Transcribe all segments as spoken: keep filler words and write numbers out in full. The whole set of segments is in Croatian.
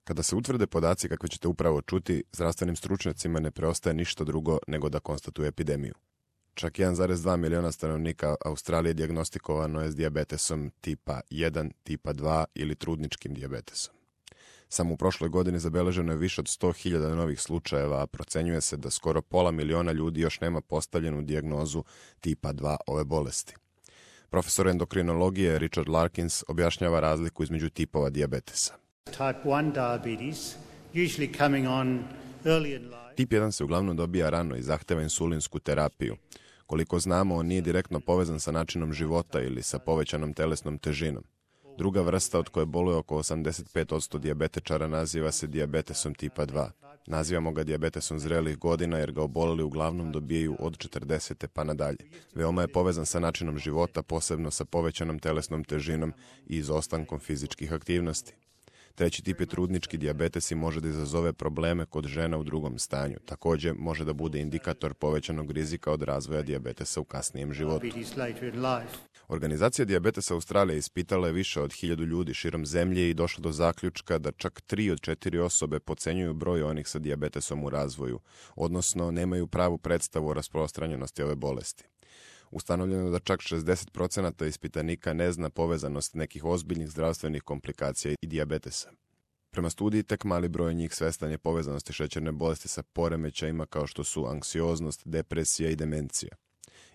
Kada se utvrde podaci kakve ćete upravo čuti, zdravstvenim stručnjacima ne preostaje ništa drugo nego da konstatuje epidemiju. Čak jedan zarez dva miliona stanovnika Australije dijagnostikovano je s dijabetesom tipa jedan, tipa dva ili trudničkim dijabetesom. Samo u prošloj godini zabeleženo je više od sto hiljada novih slučajeva, a procenjuje se da skoro pola miliona ljudi još nema postavljenu dijagnozu tipa dva ove bolesti. Profesor endokrinologije Richard Larkins objašnjava razliku između tipova dijabetesa. Tip jedan se uglavnom dobija rano i zahteva insulinsku terapiju. Koliko znamo, on nije direktno povezan sa načinom života ili sa povećanom telesnom težinom. Druga vrsta, od koje boluje oko osamdeset pet posto dijabetečara, naziva se dijabetesom tipa dva. Nazivamo ga dijabetesom zrelih godina jer ga oboleli uglavnom dobijaju od četrdesete pa nadalje. Veoma je povezan sa načinom života, posebno sa povećanom telesnom težinom i izostankom fizičkih aktivnosti. Treći tip je trudnički dijabetes i može da izazove probleme kod žena u drugom stanju. Također može da bude indikator povećanog rizika od razvoja dijabetesa u kasnijem životu. Organizacija Dijabetesa Australije ispitala je više od hiljadu ljudi širom zemlje i došla do zaključka da čak tri od četiri osobe podcenjuju broj onih sa dijabetesom u razvoju, odnosno nemaju pravu predstavu o rasprostranjenosti ove bolesti. Ustanovljeno je da čak šezdeset posto ispitanika ne zna povezanost nekih ozbiljnih zdravstvenih komplikacija i dijabetesa. Prema studiji, tek mali broj njih svestan je povezanosti šećerne bolesti sa poremećajima kao što su anksioznost, depresija i demencija.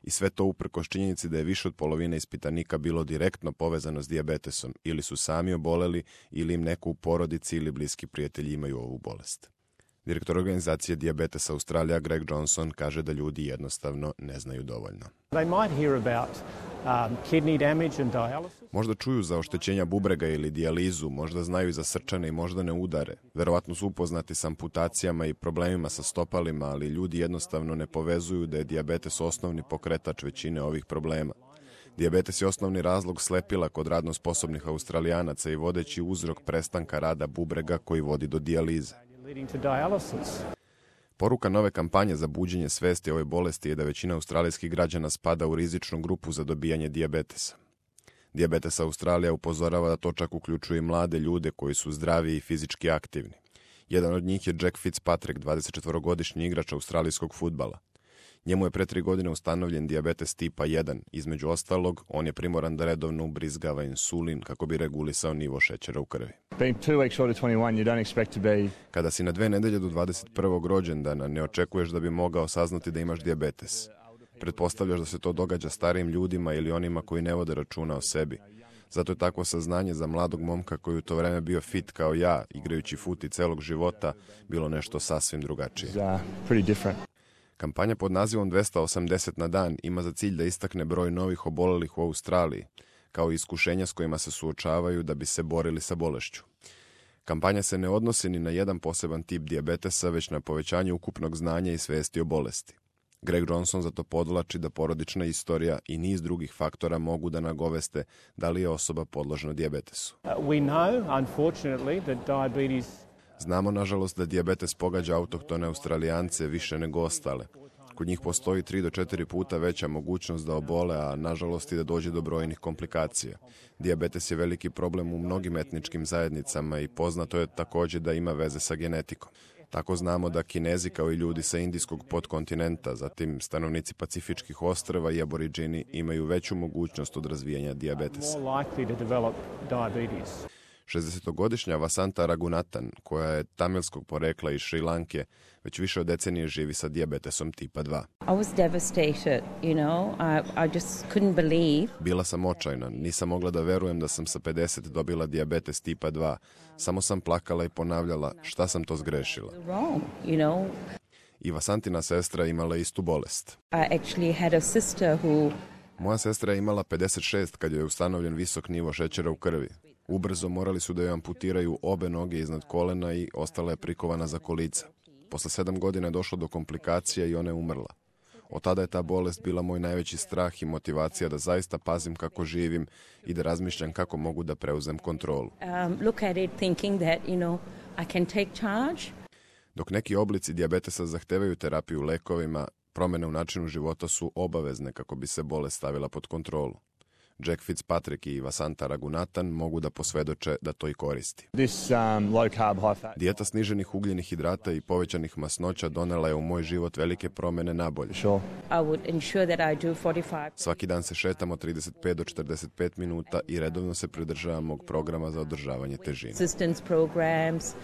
I sve to uprkos činjenici da je više od polovine ispitanika bilo direktno povezano s dijabetesom, ili su sami oboleli, ili im neko u porodici ili bliski prijatelji imaju ovu bolest. Direktor organizacije Dijabetesa Australija Greg Johnson kaže da ljudi jednostavno ne znaju dovoljno. Možda čuju za oštećenja bubrega ili dijalizu, možda znaju i za srčane i moždane udare. Verovatno su upoznati s amputacijama i problemima sa stopalima, ali ljudi jednostavno ne povezuju da je dijabetes osnovni pokretač većine ovih problema. Dijabetes je osnovni razlog slepila kod radno sposobnih Australijanaca i vodeći uzrok prestanka rada bubrega koji vodi do dijalize. Poruka nove kampanje za buđenje svesti o ovoj bolesti je da većina australijskih građana spada u rizičnu grupu za dobijanje dijabetesa. Dijabetes Australija upozorava da to čak uključuje i mlade ljude koji su zdravi i fizički aktivni. Jedan od njih je Jack Fitzpatrick, dvadesetčetvorogodišnji igrač australijskog fudbala. Njemu je pre tri godine ustanovljen dijabetes tipa jedan. Između ostalog, on je primoran da redovno ubrizgava insulin kako bi regulisao nivo šećera u krvi. Kada si na dve nedelje do dvadeset prvog rođendana, ne očekuješ da bi mogao saznati da imaš dijabetes. Pretpostavljaš da se to događa starijim ljudima ili onima koji ne vode računa o sebi. Zato je takvo saznanje za mladog momka koji u to vreme bio fit kao ja, igrajući fut i celog života, bilo nešto sasvim drugačije. Kampanja pod nazivom dvesta osamdeset na dan ima za cilj da istakne broj novih obolelih u Australiji, kao i iskušenja s kojima se suočavaju da bi se borili sa bolešću. Kampanja se ne odnosi ni na jedan poseban tip dijabetesa, već na povećanje ukupnog znanja i svesti o bolesti. Greg Johnson zato podvlači da porodična istorija i niz drugih faktora mogu da nagoveste da li je osoba podložna dijabetesu. Znamo, nažalost, da dijabetes pogađa autohtone Australijance više nego ostale. Kod njih postoji tri do četiri puta veća mogućnost da obole, a nažalost i da dođe do brojnih komplikacija. Dijabetes je veliki problem u mnogim etničkim zajednicama i poznato je također da ima veze sa genetikom. Tako znamo da Kinezi kao i ljudi sa indijskog podkontinenta, zatim stanovnici Pacifičkih ostrva i aboriđini imaju veću mogućnost od razvijanja dijabetesa. šezdesetogodišnja Vasanta Ragunathan, koja je tamilskog porekla iz Šri Lanke, već više od decenije živi sa dijabetesom tipa dva. I was devastated, you know, I, I just couldn't believe. Bila sam očajna, nisam mogla da verujem da sam sa pedeset dobila dijabetes tipa dva. Samo sam plakala i ponavljala šta sam to zgrešila. Wrong, you know. I Vasantina sestra imala istu bolest. I actually had a sister who... Moja sestra je imala pedeset šest kad joj je ustanovljen visok nivo šećera u krvi. Ubrzo morali su da joj amputiraju obe noge iznad kolena i ostala je prikovana za kolica. Posle sedam godina je došlo do komplikacija i ona je umrla. Od tada je ta bolest bila moj najveći strah i motivacija da zaista pazim kako živim i da razmišljam kako mogu da preuzem kontrolu. Um, look at it thinking that, you know, I can take charge. Dok neki oblici dijabetesa zahtevaju terapiju lekovima, promjene u načinu života su obavezne kako bi se bolest stavila pod kontrolu. Jack Fitzpatrick i Vasanta Raghunathan mogu da posvedoče da to i koristi. This um, low carb, high fat. Dijeta sniženih ugljenih hidrata i povećanih masnoća donela je u moj život velike promjene nabolje. Sure. I would ensure that I do forty-five. Svaki dan se šetamo trideset pet do četrdeset pet minuta i redovno se pridržavam mog programa za održavanje težine. Assistance programs.